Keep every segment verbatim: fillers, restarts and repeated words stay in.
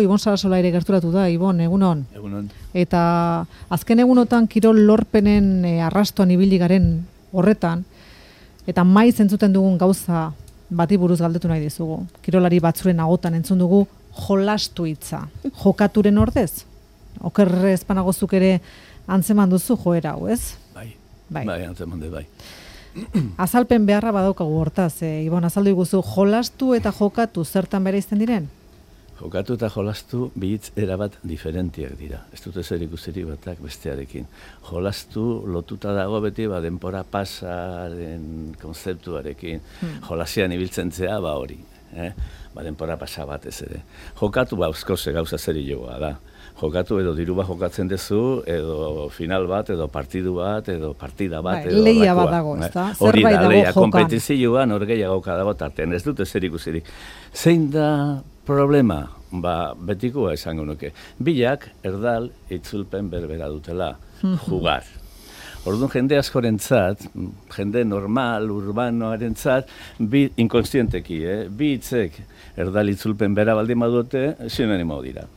Ibon Sarasola ere gerturatu da, Ibon, egunon. Egunon. Eta azken egunotan kirol lorpenen e, arrastoan ibili garen horretan, eta maiz entzuten dugun gauza bati buruz galdetu nahi dizugu. Kirolari batzuren agotan entzun dugu jolastu hitza. Jokaturen ordez? Okerrez panagozuk ere antzeman duzu joera hau, ez? Bai, bai, bai antzeman dut, bai. Azalpen beharra badaukagu hortaz, e, Ibon, azaldu iguzu, jolastu eta jokatu zertan bere izten diren? Jokatu eta jolastu bihitz erabat diferentiak dira. Ez dute zer ikusirik batak bestearekin. Jolastu lotuta dago beti ba, denpora pasaren konzeptuarekin. Hmm. Jolasian ibiltzen zea ba hori. Eh? Ba, denpora pasa batez ere. Jokatu ba euskoze gauza zeri joa da. Jokatu edo diru bat jokatzen duzu, edo final bat, edo partidu bat, edo partida bat, bai, edo leia bat dago, ez da? Hori Zerbait da, dago leia, jokan. kompetizioan hor gehiago dago tartean, ez dute zer ikusirik. Zein da problema? Ba, betikoa esango nuke. Bilak, erdal, itzulpen berbera dutela, jugar. Orduan jende askorentzat, jende normal, urbanoarentzat, bi inkonstienteki, eh? bi hitzek erdal itzulpen bera baldin badute, sinonimo dira.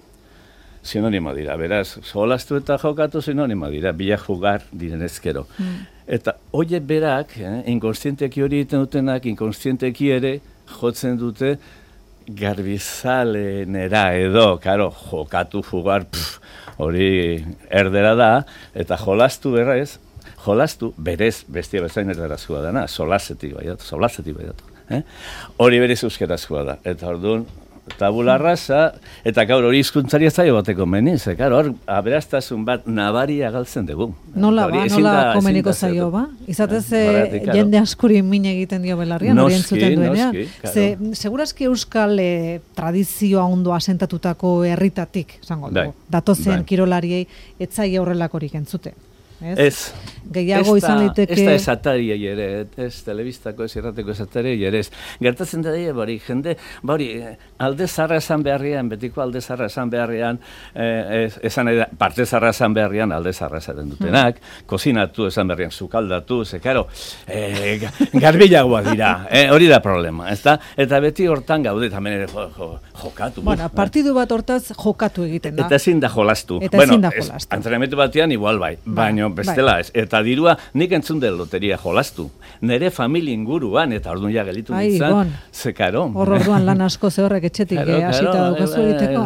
Sinonimo dira, beraz, jolastu eta jokatu sinonimo dira, bilak jugar diren ezkero. Mm. Eta horiek berak, eh, inkonstienteki hori egiten dutenak, inkonstienteki ere jotzen dute garbizalenera edo, karo, jokatu, jugar, pff, hori erdera da, eta jolastu berrez, jolastu berez bestia bezain erdarazkoa dana, solasetik baiat, solasetik baiat. Eh? Hori berez euskerazkoa da, eta orduan, tabula rasa, eta gaur hori hizkuntzari ez zaio bateko meni, ze, karo, hor, aberastazun bat nabaria galtzen dugu. Nola ba, nola komeniko zaio ba? Izatez, eh, jende askuri min egiten dio belarrian, hori entzuten duenean. Ze, segurazki euskal eh, tradizioa ondo asentatutako herritatik, esango dugu, datozen kirolariei, etzai horrelakorik entzute. Ez, ez. Gehiago izan liteke... Ez da esatari ere, ez telebistako ez irrateko esatari ere, ez. Gertatzen da dira, bari, jende, bari, alde zarra esan beharrian, betiko alde zarra esan beharrian, eh, esan eda, parte zarra esan beharrian, alde zarra esaten dutenak, hmm. kozinatu esan beharrian, sukaldatu, ze, karo, eh, garbilagoa dira, eh, hori da problema, ez da? Eta beti hortan gaude, tamen ere jo, jo, jokatu. Bueno, buf, partidu bat hortaz jokatu egiten da. Eta ezin da jolastu. Eta bueno, ezin da jolastu. Antrenamentu batean igual bai, baino bestela ez. Eta dirua nik entzun del loteria jolastu. Nere familia inguruan, eta orduan ja gelitu nintzen, ze karo. Hor orduan lan asko ze horrek etxetik hasita daukazu egiteko.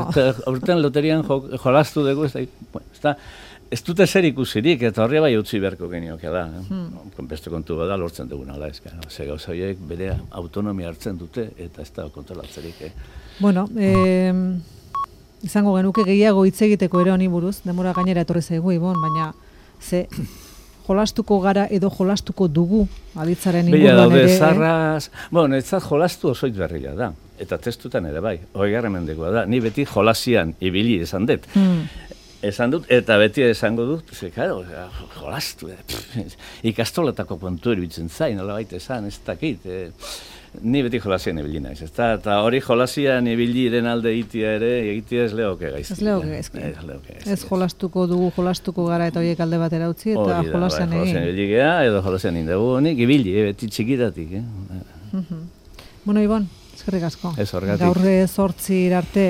Urtean loterian jolastu dugu, ez dute zer ikusirik, eta horre bai utzi beharko genioke da. Beste kontu bada lortzen dugun ala ez. Ze gauza horiek bere autonomia hartzen dute, eta ez da kontrolatzerik. Bueno, izango genuke gehiago hitz egiteko ere honi buruz, demora gainera etorri zaigu, Ibon, baina ze jolastuko gara edo jolastuko dugu aditzaren inguruan ere. Bila, zarraz... Bueno, etzat jolastu osoit berria da. Eta testutan ere bai, hoigarren mendekoa da. Ni beti jolasian ibili esan dut. Hmm. Esan dut, eta beti esango dut, ze, karo, jolastu. Ikastoletako kontu eruditzen zain, nola baita esan, ez dakit. Eh, ni beti jolasian ibili naiz, ez da? Eta hori jolasian ibiliren alde itia ere, egitea ez lehoke gaizki. Ez lehoke gaizki. Ez jolastuko dugu, jolastuko gara eta horiek alde batera utzi, eta jolasian egin. Jolasian ibili geha, edo jolasian indegu honik, ibili, beti txikitatik. Eh? Bueno, Ibon, eskerrik asko. Ez horregatik. Gaurre zortzi arte